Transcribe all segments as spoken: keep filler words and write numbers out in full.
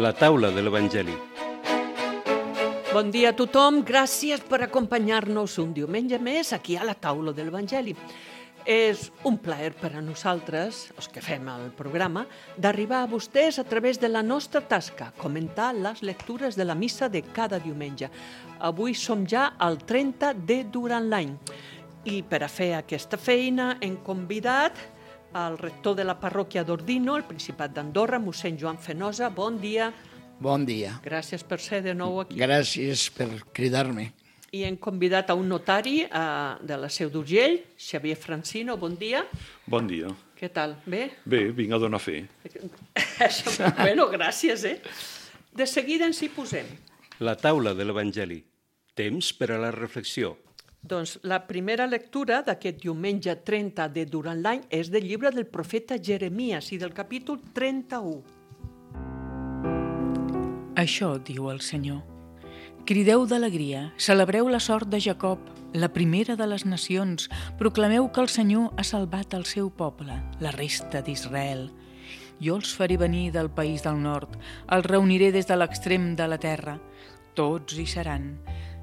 La taula de l'Evangeli. Bon dia a tothom, gràcies per acompanyar-nos un diumenge més aquí a la taula de l'Evangeli. És un plaer per a nosaltres, els que fem el programa, d'arribar a vostès a través de la nostra tasca, comentar les lectures de la missa de cada diumenge. Avui som ja al trenta de durant l'any i per a fer aquesta feina hem convidat el rector de la parròquia d'Ordino, el Principat d'Andorra, mossèn Joan Fenosa. Bon dia. Bon dia. Gràcies per ser de nou aquí. Gràcies per cridar-me. I hem convidat a un notari uh, de la Seu d'Urgell, Xavier Francino. Bon dia. Bon dia. Què tal? Bé? Bé, vinc a donar fe. Això, bueno, gràcies, eh? De seguida ens hi posem. La taula de l'Evangeli. Temps per a la reflexió. Doncs la primera lectura d'aquest diumenge trenta de durant l'any és del llibre del profeta Jeremies i del capítol trenta-u. Això diu el Senyor. Crideu d'alegria, celebreu la sort de Jacob, la primera de les nacions. Proclameu que el Senyor ha salvat el seu poble, la resta d'Israel. Jo els faré venir del país del nord, els reuniré des de l'extrem de la terra. Tots hi seran,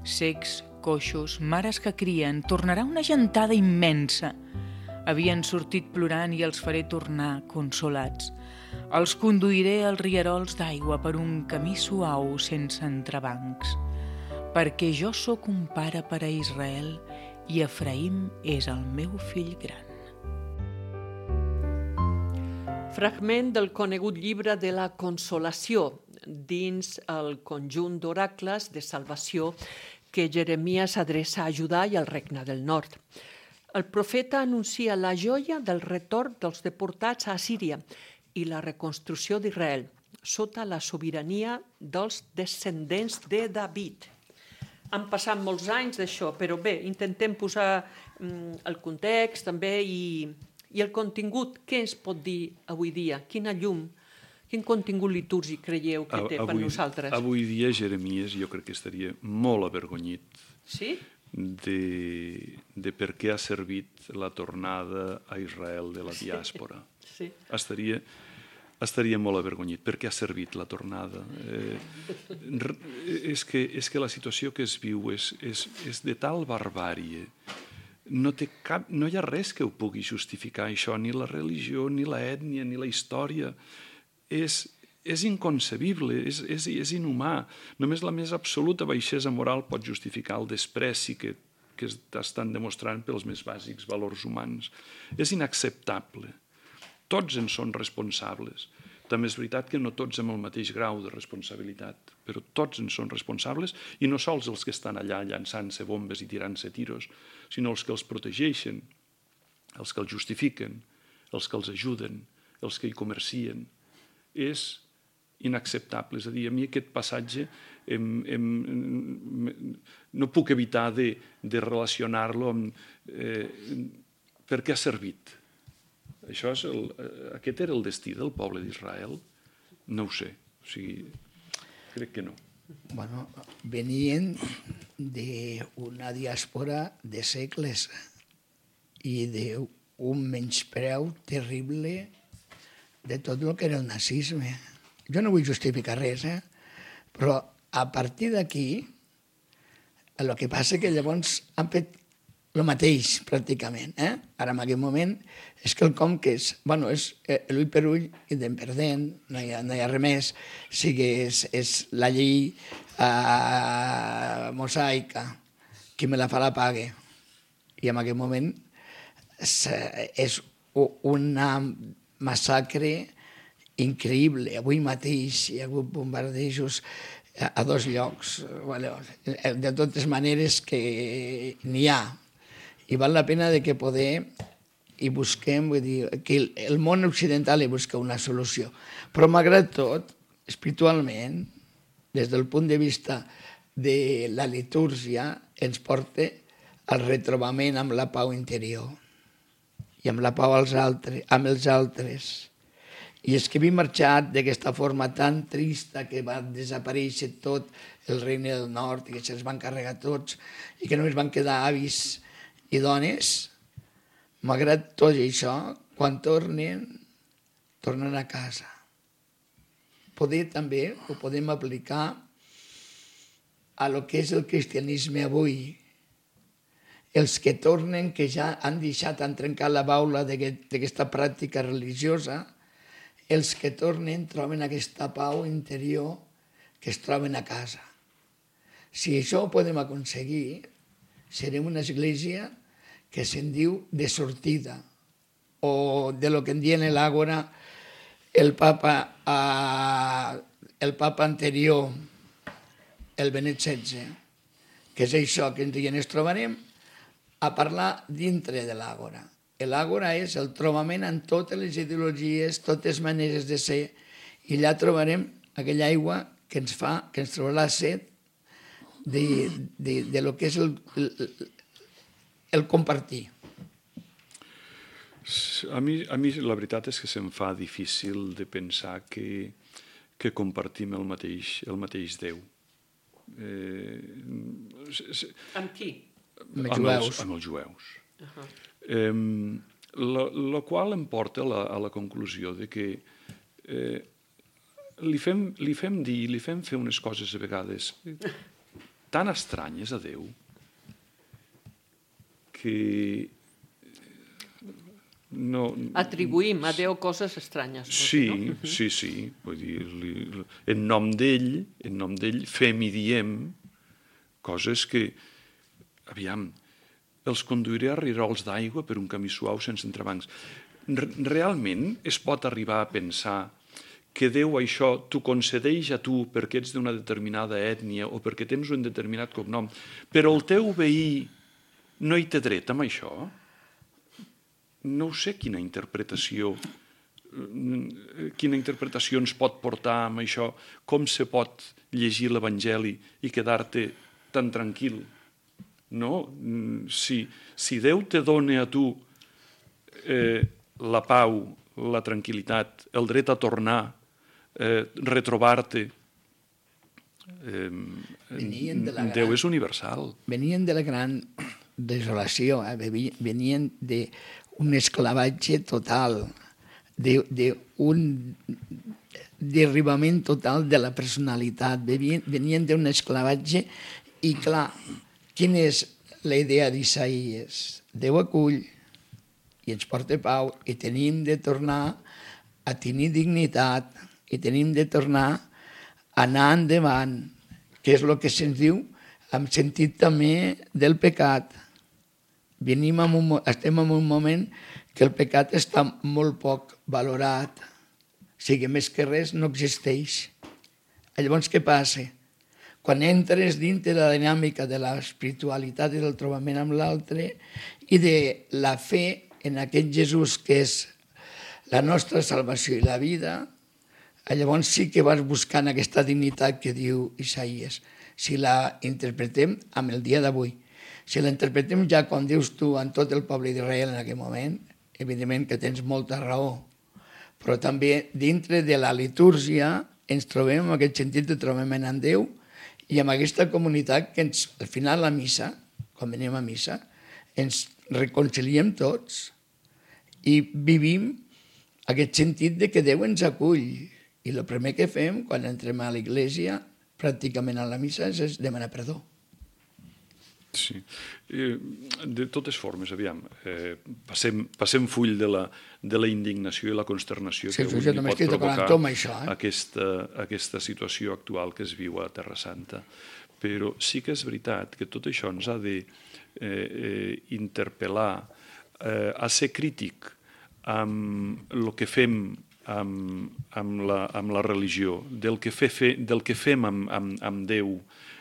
cecs, coixos, mares que crien, tornarà una gentada immensa. Havien sortit plorant i els faré tornar consolats. Els conduiré als rierols d'aigua per un camí suau sense entrebancs. Perquè jo sóc un pare per a Israel i Efraïm és el meu fill gran. Fragment del conegut llibre de la Consolació dins el conjunt d'oracles de salvació que Jeremies adreça a Judà i al Regne del Nord. El profeta anuncia la joia del retorn dels deportats a Assíria i la reconstrucció d'Israel, sota la sobirania dels descendents de David. Han passat molts anys d'això, però bé, intentem posar mm, el context també i, i el contingut. Què ens pot dir avui dia? Quina llum, quin contingut litúrgic creieu que té avui, per nosaltres? Avui dia Jeremies jo crec que estaria molt avergonyit sí? de, de per què ha servit la tornada a Israel de la diàspora. Sí. Estaria, estaria molt avergonyit. Per què ha servit la tornada? Eh, és, que, és que la situació que es viu és, és, és de tal barbàrie. No, té cap, no hi ha res que ho pugui justificar, això, ni la religió, ni la ètnia, ni la història. És, és inconcebible, és, és, és inhumà. Només la més absoluta baixesa moral pot justificar el despreci que, que estan demostrant pels més bàsics valors humans. És inacceptable. Tots en són responsables. També és veritat que no tots amb el mateix grau de responsabilitat, però tots en són responsables, i no sols els que estan allà llançant-se bombes i tirant-se tiros, sinó els que els protegeixen, els que els justifiquen, els que els ajuden, els que hi comercien. És inacceptable. És a dir, a mi aquest passatge em, em, no puc evitar de, de relacionar-lo amb eh, per què ha servit. Això és el, aquest era el destí del poble d'Israel? No ho sé. O sigui, crec que no. Bueno, venien d'una diàspora de segles i d'un menyspreu terrible de tot el que era el nazisme. Jo no vull justificar res, eh? Però a partir d'aquí, el que passa és que llavors han fet el mateix, pràcticament. Eh? Ara, en aquest moment, és quelcom que és, bueno, és l'ull per ull i dent per dent, no hi ha, no hi ha res més, o sigui, és, és la llei eh, mosaica, qui me la fa la pague. I en aquest moment és, és una massacre increïble. Avui mateix hi ha hagut bombardejos a dos llocs. Bueno, de totes maneres que n'hi ha. I val la pena de que poder i busquem, vull dir, que el món occidental hi busca una solució. Però malgrat tot, espiritualment, des del punt de vista de la litúrgia, ens porta al retrobament amb la pau interior i amb la pau als altres, amb els altres. I és que havia marxat d'aquesta forma tan trista que va desaparèixer tot el regne del nord i que se'ls van carregar tots i que només van quedar avis i dones. Malgrat tot això, quan tornen, tornen a casa. poder també ho podem aplicar a lo que és el cristianisme avui. Els que tornen, que ja han deixat, han trencat la baula d'aquesta pràctica religiosa, els que tornen troben aquesta pau interior que es troben a casa. Si això ho podem aconseguir, serem una església que se'n diu de sortida, o de lo que en dien l'àgora el papa, eh, el papa anterior, el Benet setze, que és això que ens trobarem a parlar dintre de l'àgora. L'àgora és el trobament en totes les ideologies, totes maneres de ser, i allà trobarem aquella aigua que ens fa, que ens trobarà set de, de, de lo que és el, el, el compartir. A mi, a mi la veritat és que se'm fa difícil de pensar que, que compartim el mateix, el mateix Déu. Eh, amb qui? Amb els jueus. Amb els jueus. Uh-huh. Eh, la, la qual em porta a la, a la conclusió de que eh, li, fem, li fem dir, li fem fer unes coses a vegades tan estranyes a Déu que no... Atribuïm a Déu coses estranyes. Sí, no? sí, sí. Vull dir, li, en nom d'ell, en nom d'ell fem i diem coses que, aviam, els conduiré a rirols d'aigua per un camí suau sense entrebancs. Realment es pot arribar a pensar que Déu això t'ho concedeix a tu perquè ets d'una determinada ètnia o perquè tens un determinat cognom, però el teu veí no hi té dret amb això? No sé quina interpretació quina interpretació ens pot portar amb això, com se pot llegir l'Evangeli i quedar-te tan tranquil. No? Si, si Déu te dona a tu eh, la pau, la tranquil·litat, el dret a tornar, eh, retrobar-te, eh, gran, Déu és universal. Venien de la gran desolació, eh? Venien d'un esclavatge total, d'un derribament total de la personalitat, venien d'un esclavatge i, clar, quina és la idea d'Isaïes? Déu acull i ens porta pau i tenim de tornar a tenir dignitat i tenim de tornar a anar endavant, que és el que se'ns diu en sentit també del pecat. Venim en un, estem en un moment que el pecat està molt poc valorat, o sigui, més que res no existeix. Llavors, què passa? Quan entres dintre de la dinàmica de l'espiritualitat i del trobament amb l'altre i de la fe en aquest Jesús que és la nostra salvació i la vida, llavors sí que vas buscant aquesta dignitat que diu Isaïes. Si la interpretem amb el dia d'avui, si la interpretem ja com dius tu en tot el poble d'Israel en aquell moment, evidentment que tens molta raó, però també dintre de la litúrgia ens trobem en aquest sentit de trobament en Déu i amb aquesta comunitat que ens, al final la missa, quan venim a missa, ens reconciliem tots i vivim aquest sentit de que Déu ens acull. I el primer que fem quan entrem a l'església, pràcticament a la missa, és demanar perdó. Sí. De totes formes, aviam, eh, passem, passem full de la, de la indignació i la consternació sí, que avui sí, li pot provocar això, eh? aquesta, aquesta situació actual que es viu a Terra Santa. Però sí que és veritat que tot això ens ha de eh, eh, interpel·lar eh, a ser crític amb el que fem amb, amb, la, amb la religió, del que, fe, fe, del que fem amb, amb, amb Déu,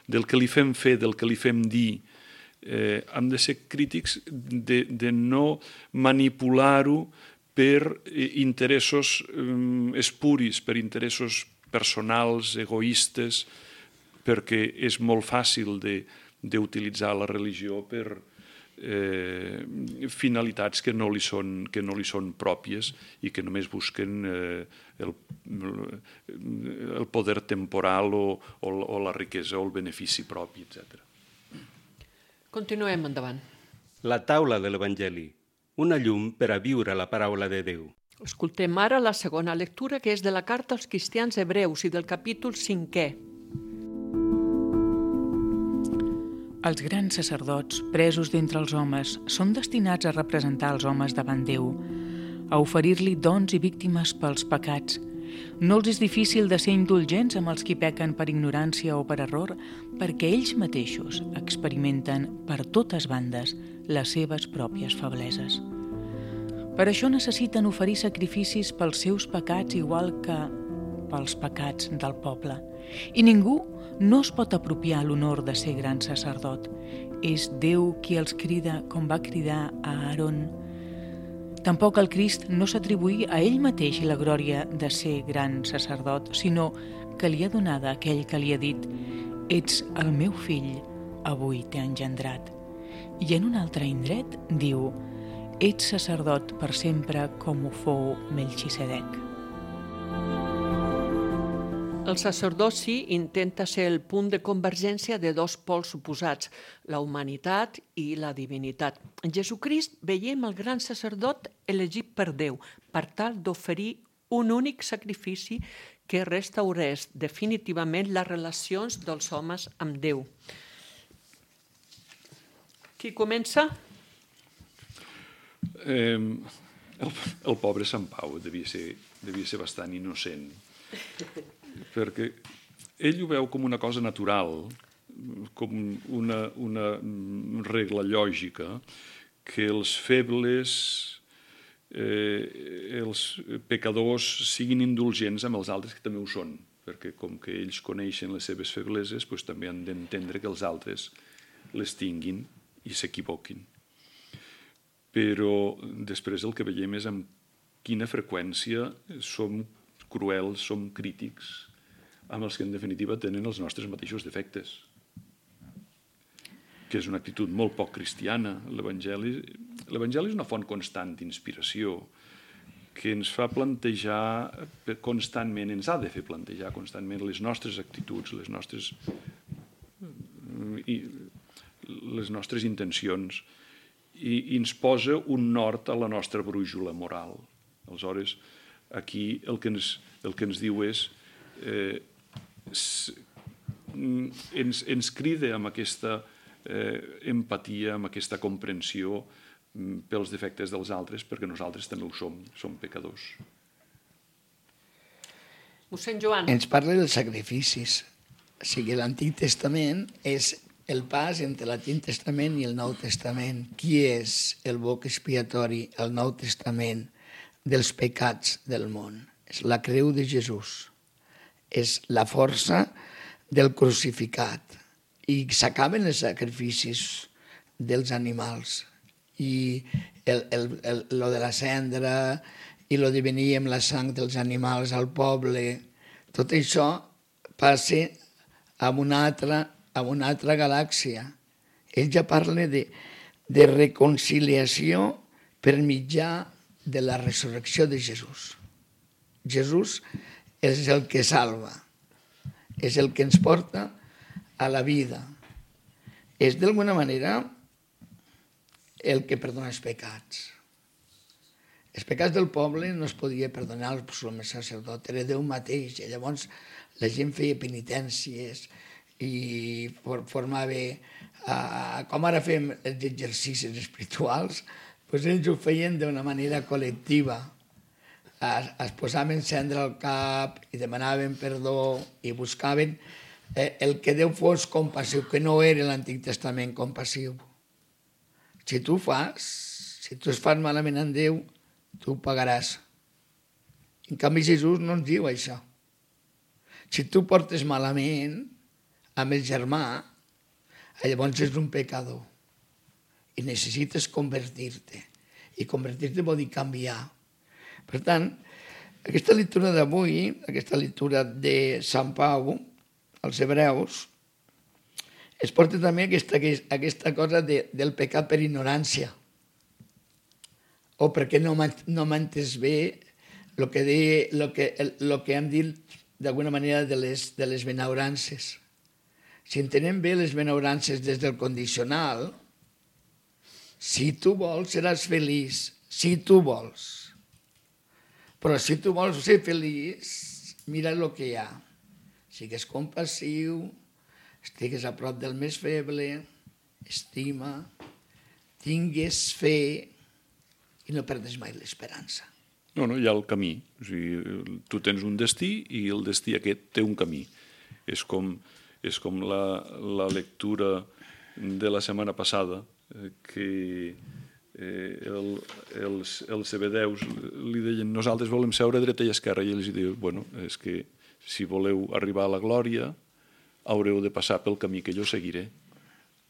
del que li fem fer, del que li fem dir. Eh, hem de ser crítics de, de no manipular-ho per interessos eh, espuris, per interessos personals, egoistes, perquè és molt fàcil d'utilitzar la religió per eh, finalitats que no li són, que no li són pròpies i que només busquen eh, el, el poder temporal o, o, o la riquesa o el benefici propi, etcètera. Continuem endavant. La taula de l'Evangeli, una llum per a viure la paraula de Déu. Escoltem ara la segona lectura, que és de la carta als cristians hebreus i del capítol cinquè. Els grans sacerdots, presos d'entre els homes, són destinats a representar els homes davant Déu, a oferir-li dons i víctimes pels pecats. No els és difícil de ser indulgents amb els qui pequen per ignorància o per error, perquè ells mateixos experimenten per totes bandes les seves pròpies febleses. Per això necessiten oferir sacrificis pels seus pecats igual que pels pecats del poble. I ningú no es pot apropiar l'honor de ser gran sacerdot. És Déu qui els crida com va cridar a Aaron. Tampoc el Crist no s'atribuí a ell mateix la glòria de ser gran sacerdot, sinó que li ha donada aquell que li ha dit: «Ets el meu fill, avui t'he engendrat». I en un altre indret diu: «Ets sacerdot per sempre com ho fou Melxisedec». El sacerdoci intenta ser el punt de convergència de dos pols oposats, la humanitat i la divinitat. En Jesucrist veiem el gran sacerdot elegit per Déu, per tal d'oferir un únic sacrifici que restaurés definitivament les relacions dels homes amb Déu. Qui comença? Eh, el, el pobre Sant Pau devia ser, devia ser bastant innocent, perquè ell ho veu com una cosa natural, com una, una regla lògica, que els febles, eh, els pecadors siguin indulgents amb els altres que també ho són, perquè com que ells coneixen les seves febleses, doncs també han d'entendre que els altres les tinguin i s'equivoquin. Però després el que veiem és amb quina freqüència som cruels, som crítics amb els que en definitiva tenen els nostres mateixos defectes, que és una actitud molt poc cristiana. L'Evangeli l'Evangeli és una font constant d'inspiració que ens fa plantejar constantment, ens ha de fer plantejar constantment les nostres actituds, les nostres, les nostres intencions, i ens posa un nord a la nostra brúixola moral. Aleshores, aquí el que ens, el que ens diu és eh, ens, ens crida amb aquesta eh, empatia, amb aquesta comprensió pels defectes dels altres, perquè nosaltres també ho som, som pecadors. Mossèn Joan. Ens parla dels sacrificis. O sigui, l'Antic Testament és el pas entre l'Antic Testament i el Nou Testament. Qui és el boc expiatori, el Nou Testament, dels pecats del món? És la creu de Jesús. És la força del crucificat. I s'acaben els sacrificis dels animals. I el, el, el, lo de la cendra i lo de venir amb la sang dels animals al poble, tot això passa a una altra, a una altra galàxia. Ell ja parla de, de reconciliació per mitjà de la resurrecció de Jesús. Jesús és el que salva, és el que ens porta a la vida. És d'alguna manera el que perdona els pecats. Els pecats del poble no es podia perdonar el summe sacerdot, era Déu mateix, i llavors la gent feia penitències i formava, uh, com ara fem els exercicis espirituals, doncs ells ho feien d'una manera col·lectiva. Es, es posaven cendra al cap i demanaven perdó i buscaven eh, el que Déu fos compassiu, que no era l'Antic Testament compassiu. Si tu fas, si tu es fas malament en Déu, tu ho pagaràs. En canvi, Jesús no ens diu això. Si tu portes malament amb el germà, llavors és un pecador i necessites convertir-te. I convertir-te vol dir canviar. Per tant, aquesta lectura d'avui, aquesta lectura de Sant Pau, als Hebreus, es porta també aquesta, aquesta cosa de, del pecat per ignorància. O perquè no m'ha entès bé el que, de, lo que, lo que hem dit d'alguna manera de les, de les benaurances. Si entenem bé les benaurances des del condicional, si tu vols seràs feliç, si tu vols. Però si tu vols ser feliç, mira el que hi ha. Sigues compassiu, estigues a prop del més feble, estima, tingues fe i no perdes mai l'esperança. No, no, hi ha el camí. O sigui, tu tens un destí i el destí aquest té un camí. És com, és com la, la lectura de la setmana passada, eh, que eh, el, els, els cebedeus li deien nosaltres volem seure a dreta i esquerra, i ells diuen, bueno, és que si voleu arribar a la glòria haureu de passar pel camí que jo seguiré.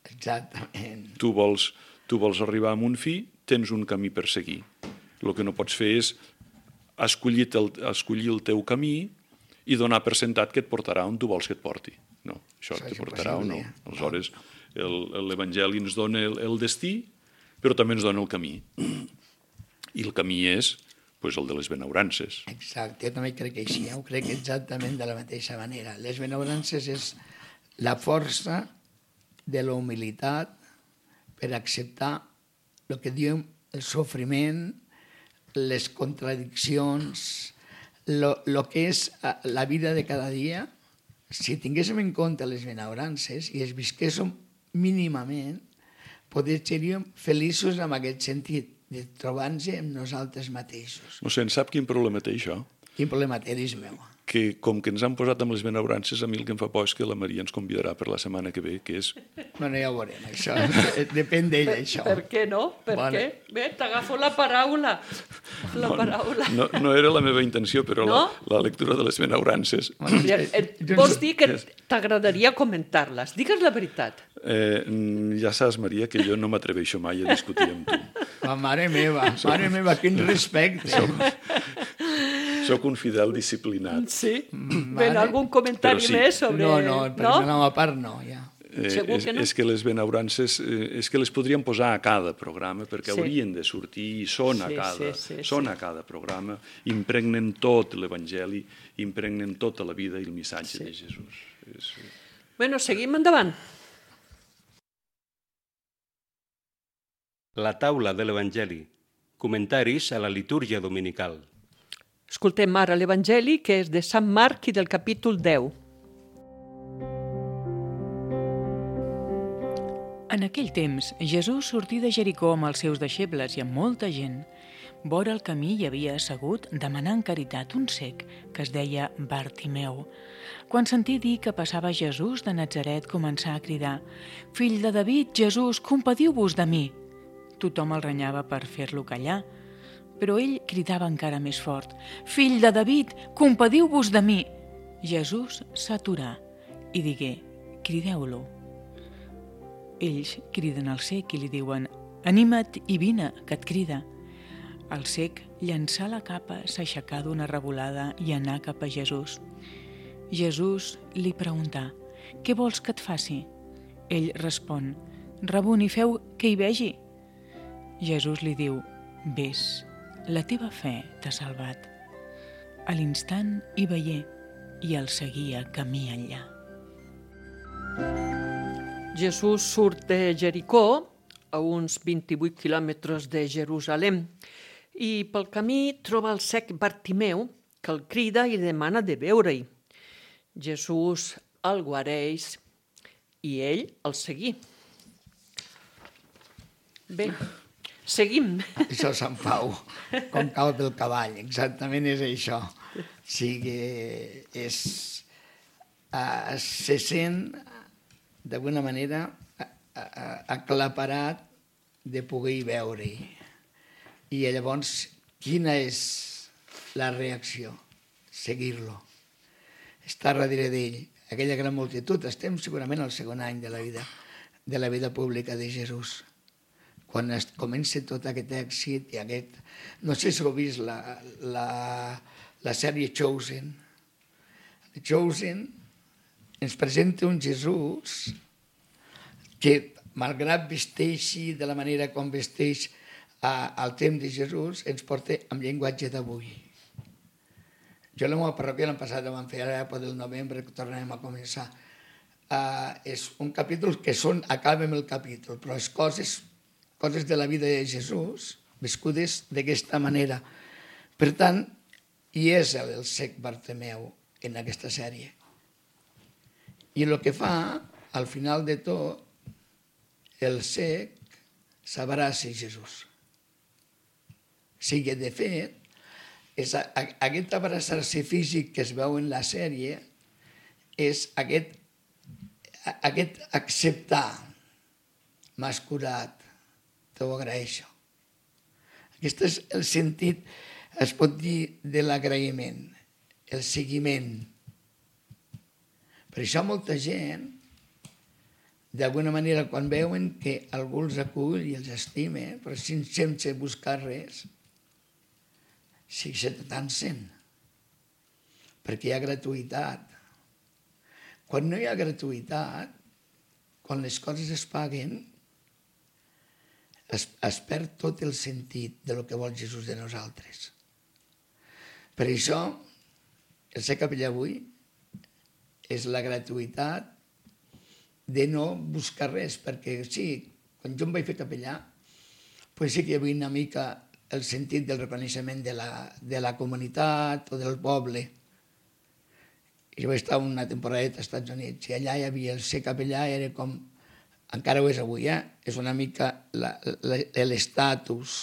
Exactament. Tu vols, tu vols arribar a un fi, tens un camí per seguir. El que no pots fer és escollir el, escollir el teu camí i donar per sentat que et portarà on tu vols que et porti. No, això, això te portarà o no. Aleshores, l'Evangeli ens dona el, el destí, però també ens dona el camí. I el camí és pues, el de les benaurances. Exacte, jo també crec que així, ho crec exactament de la mateixa manera. Les benaurances és la força de la humilitat per acceptar el que diu el sofriment, les contradiccions, el que és la vida de cada dia. Si tinguéssim en compte les benaurances i es visquéssim mínimament, potser seríem feliços en aquest sentit, de trobar-nos amb nosaltres mateixos. No sé, en sap quin problema té això? Quin problema té, dis meu? Que com que ens han posat amb les benaurances, a mi el que em fa por és que la Maria ens convidarà per la setmana que ve, que és... Bueno, ja ho veurem, això. Depèn d'ella, això. Per què no? Per Vale. què? Bé, t'agafo la paraula. La paraula. No, no era la meva intenció, però No? la, la lectura de les benaurances... Ja, eh, Vols dir que t'agradaria comentar-les? Digues la veritat. Eh, ja saps, Maria, que jo no m'atreveixo mai a discutir amb tu. Oh, mare meva, mare meva, quin respecte. Soc un fidel disciplinat. Sí? Mare. Ben, algun comentari Però sí. més sobre... No, no, per no? la meva part no, ja. Eh, Segur és, que no? és que les benaurances eh, és que les podríem posar a cada programa perquè Sí. haurien de sortir i són a Sí, cada, sí, sí, són sí. a cada programa, impregnen tot l'Evangeli, impregnen tota la vida i el missatge Sí. de Jesús. És... Bueno, seguim endavant. La taula de l'Evangeli. Comentaris a la litúrgia dominical. Escoltem ara l'Evangeli, que és de Sant Marc i del capítol deu. En aquell temps, Jesús sortí de Jericó amb els seus deixebles i amb molta gent. Vora el camí hi havia assegut, demanant caritat, un cec, que es deia Bartimeu. Quan sentí dir que passava Jesús de Natzaret, començà a cridar: «Fill de David, Jesús, compadiu-vos de mi!» Tothom el renyava per fer-lo callar, però ell cridava encara més fort: «Fill de David, compadiu-vos de mi!» Jesús s'aturà i digué: «Crideu-lo». Ells criden al cec i li diuen: «Anima't i vine, que et crida». El cec llançà la capa, s'aixecà d'una revolada i anà cap a Jesús. Jesús li preguntà: «Què vols que et faci?» Ell respon: «Rabuni, feu que hi vegi». Jesús li diu: «Ves, la teva fe t'ha salvat». A l'instant hi veié i el seguia camí enllà. Jesús surt de Jericó, a uns vint-i-vuit quilòmetres de Jerusalem, i pel camí troba el cec Bartimeu, que el crida i demana de veure-hi. Jesús el guareix i ell el seguí. Bé, seguim. Això és Sant Pau, com cau del cavall, exactament és això. O sigui, és, uh, se sent d'alguna manera aclaparat de poder veure-hi. I llavors, quina és la reacció? Seguir-lo. Estar darrere d'ell. Aquella gran multitud. Estem segurament al segon any de la vida, de la vida pública de Jesús. Quan es comença tot aquest èxit i aquest... No sé si heu vist la, la, la sèrie Chosen. Chosen ens presenta un Jesús que, malgrat vesteixi de la manera com vesteix al temps de Jesús, ens porta amb llenguatge d'avui. Jo a la meva parròquia l'any passat ho vam fer, ara per del novembre que tornarem a començar. Uh, és un capítol que són, acabem el capítol, però és coses, coses de la vida de Jesús viscudes d'aquesta manera. Per tant, i és el, el cec Bartomeu en aquesta sèrie. I el que fa, al final de tot, el cec s'abraça a Jesús. O sigui, de fet, és a, a, aquest abraçar-se físic que es veu en la sèrie és aquest, a, aquest acceptar. M'has curat, t'ho agraeixo. Aquest és el sentit, es pot dir, de l'agraïment, el seguiment. Per això molta gent, d'alguna manera, quan veuen que algú els acull i els estima, però sense buscar res, sí que se t'atansen, perquè hi ha gratuïtat. Quan no hi ha gratuïtat, quan les coses es paguen, es, es perd tot el sentit de lo que vol Jesús de nosaltres. Per això, el ser capellà avui és la gratuïtat de no buscar res, perquè sí, quan jo em vaig fer capellà, pues sí que hi havia una mica el sentit del reconeixement de la, de la comunitat o del poble. Jo vaig estar una temporadeta als Estats Units i allà hi havia el ser capellà, era com, encara ho és avui, eh? És una mica l'estatus,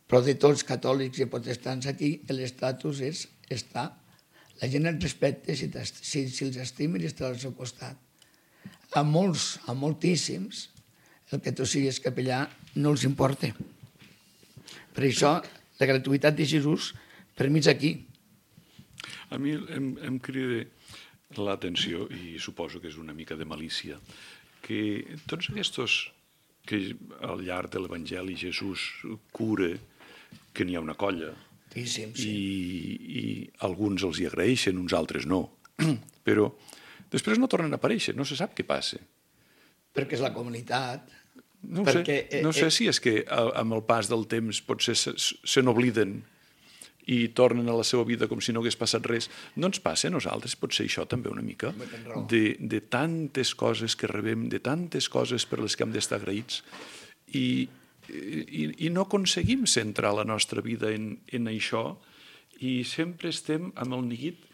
però de tots catòlics i protestants aquí, l'estatus és estar. La gent els respecta si, si, si els estima i està al seu costat. A molts, a moltíssims, el que tu siguis capellà no els importa. Per això, la gratuïtat de Jesús, per mi és aquí. A mi em, em crida l'atenció, i suposo que és una mica de malícia, que tots aquests que al llarg de l'Evangeli Jesús cura, que n'hi ha una colla, Sí, sí, sí. i, i alguns els hi agraeixen, uns altres no, però després no tornen a aparèixer, no se sap què passa. Perquè és la comunitat. No ho perquè, sé, no sé si és que amb el pas del temps potser se, se n'obliden i tornen a la seva vida com si no hagués passat res. No ens passa a nosaltres, potser això també una mica, de, de tantes coses que rebem, de tantes coses per les que hem d'estar agraïts, i, i, i no aconseguim centrar la nostra vida en, en això, i sempre estem amb el neguit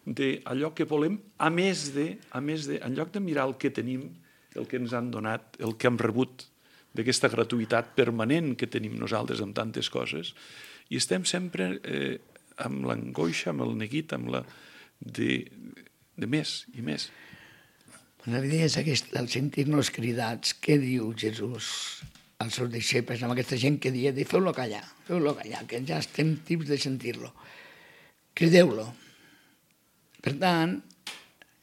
d'allò que volem, a més de, a més de, en lloc de mirar el que tenim, el que ens han donat, el que hem rebut, d'aquesta gratuïtat permanent que tenim nosaltres amb tantes coses, i estem sempre eh, amb l'angoixa, amb el neguit, amb la de, de més i més. La idea és aquesta, el sentir-nos cridats. Què diu Jesús als seus deixebles, amb aquesta gent que dia de feu-lo callar, feu-lo callar, que ja estem tips de sentir-lo. Crideu-lo. Per tant,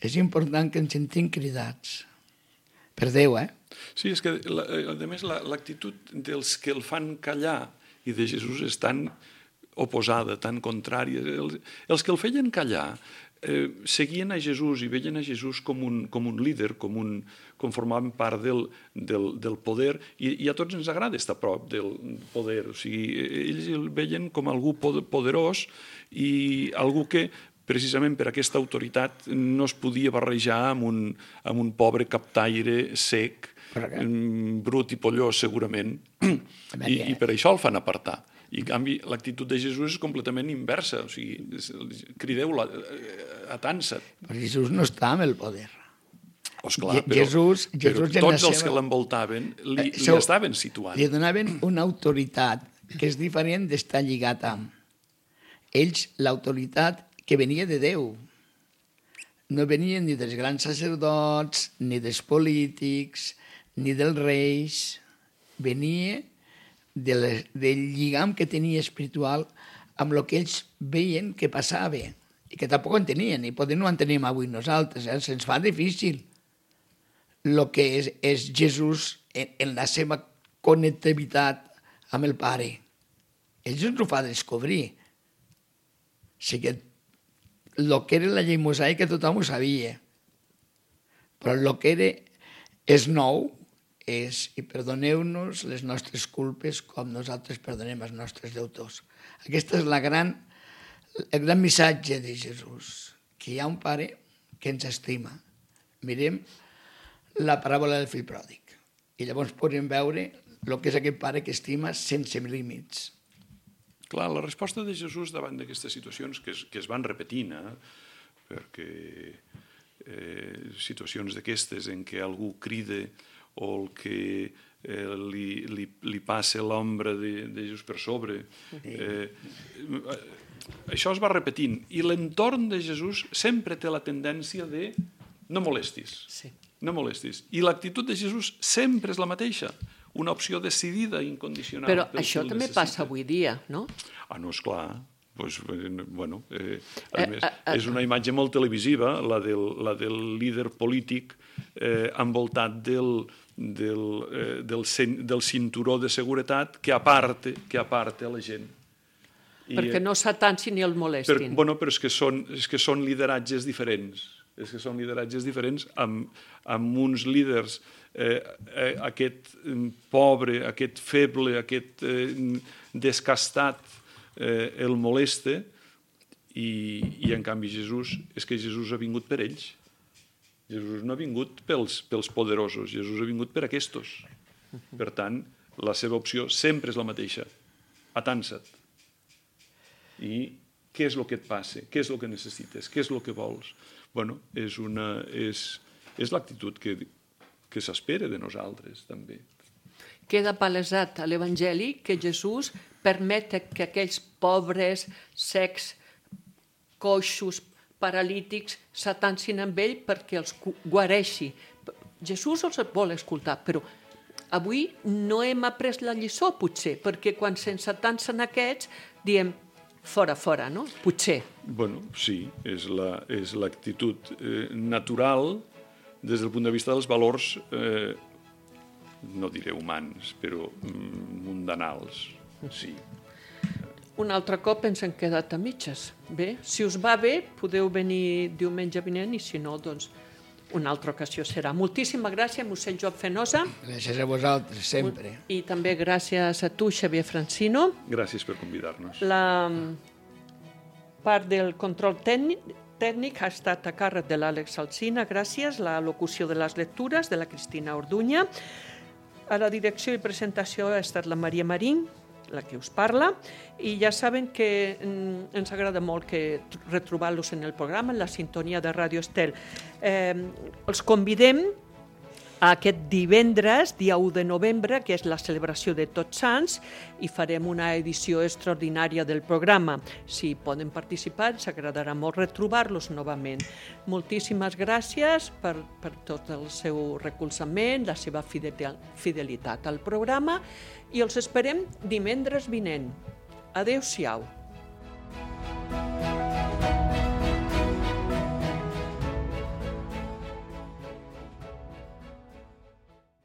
és important que ens sentim cridats. Per Déu, eh? Sí, és que, a més, l'actitud dels que el fan callar i de Jesús és tan oposada, tan contrària. Els, els que el feien callar eh, seguien a Jesús i veien a Jesús com un, com un líder, com, un, com formaven part del, del, del poder, i, i a tots ens agrada estar a prop del poder. O sigui, ells el veien com algú poderós i algú que precisament per aquesta autoritat no es podia barrejar amb un, amb un pobre captaire sec, brut i pollós segurament, i, i per això el fan apartar. I en canvi l'actitud de Jesús és completament inversa, o sigui, crideu-la, atansa't. Però Jesús no està amb el poder. Pues clar, però, Jesús, Jesús però tots els seva... que l'envoltaven li, li so, estaven situant. Li donaven una autoritat que és diferent d'estar lligat amb. Ells, l'autoritat que venia de Déu. No venien ni dels grans sacerdots, ni dels polítics, ni dels reis. Venia de les, del lligam que tenia espiritual amb el que ells veien que passava i que tampoc entenien, i potser no entenem avui nosaltres, eh? Se'ns fa difícil el que és, és Jesús en, en la seva connectivitat amb el Pare. Ells ens ho fa descobrir. O sigui, el que era la llei mosaica tothom ho sabia, però el que era és nou, és i perdoneu-nos les nostres culpes com nosaltres perdonem els nostres deutors. Aquest és la gran, el gran missatge de Jesús, que hi ha un Pare que ens estima. Mirem la paràbola del fill pròdig i llavors podem veure el que és aquest Pare que estima sense límits. Clar, la resposta de Jesús davant d'aquestes situacions que es, que es van repetint, eh? perquè eh, situacions d'aquestes en què algú crida o el que eh, li, li, li passa l'ombra de, de Jesús per sobre, eh, això es va repetint. I l'entorn de Jesús sempre té la tendència de no molestis, Sí. no molestis. I l'actitud de Jesús sempre és la mateixa, una opció decidida i incondicional. Però pel això que el també necessita. passa avui dia, no? Ah, no, esclar. Pues, bueno, eh, a Eh, més, eh, eh. és una imatge molt televisiva, la del, la del líder polític eh, envoltat del, del, eh, del, cin, del cinturó de seguretat que aparte, que aparte a la gent. I, Perquè no s'atansin ni el per, molestin. bueno, però és que, són, és que són lideratges diferents. És que són lideratges diferents amb, amb uns líders, eh, eh, aquest eh, pobre, aquest feble, aquest eh, descastat, eh, el molesta, i, i en canvi Jesús, és que Jesús ha vingut per ells. Jesús no ha vingut pels, pels poderosos, Jesús ha vingut per aquests. Per tant, la seva opció sempre és la mateixa. Atansa't. I què és el que et passa? Què és el que necessites? Què és el que vols? Bueno, és, una, és, és l'actitud que, que s'espera de nosaltres, també. Queda palesat a l'Evangeli que Jesús permet que aquells pobres, secs, coixos, paralítics s'atansin amb ell perquè els guareixi. Jesús els vol escoltar, però avui no hem après la lliçó, potser, perquè quan se'ns atansen aquests diem fora, fora, no? Potser. Bueno, sí, és la, és l'actitud eh, natural des del punt de vista dels valors, eh, no diré humans, però mm, mundanals, sí. Un altre cop ens hem quedat a mitges. Bé, si us va bé, podeu venir diumenge vinent i si no, doncs una altra ocasió serà. Moltíssima gràcies, mossèn Joan Fenosa. Gràcies a vosaltres, sempre. I també gràcies a tu, Xavier Francino. Gràcies per convidar-nos. La part del control tècnic, tècnic ha estat a càrrec de l'Àlex Alsina, gràcies. La locució de les lectures de la Cristina Orduña. A la direcció i presentació ha estat la Maria Marín, la que us parla, i ja saben que mm, ens agrada molt que retrobar-los en el programa, en la sintonia de Ràdio Estel. Eh, els convidem a aquest divendres, dia u de novembre, que és la celebració de Tots Sants, i farem una edició extraordinària del programa. Si poden participar, ens agradarà molt retrobar-los novament. Moltíssimes gràcies per, per tot el seu recolzament, la seva fidelitat al programa, i els esperem divendres vinent. Adéu-siau.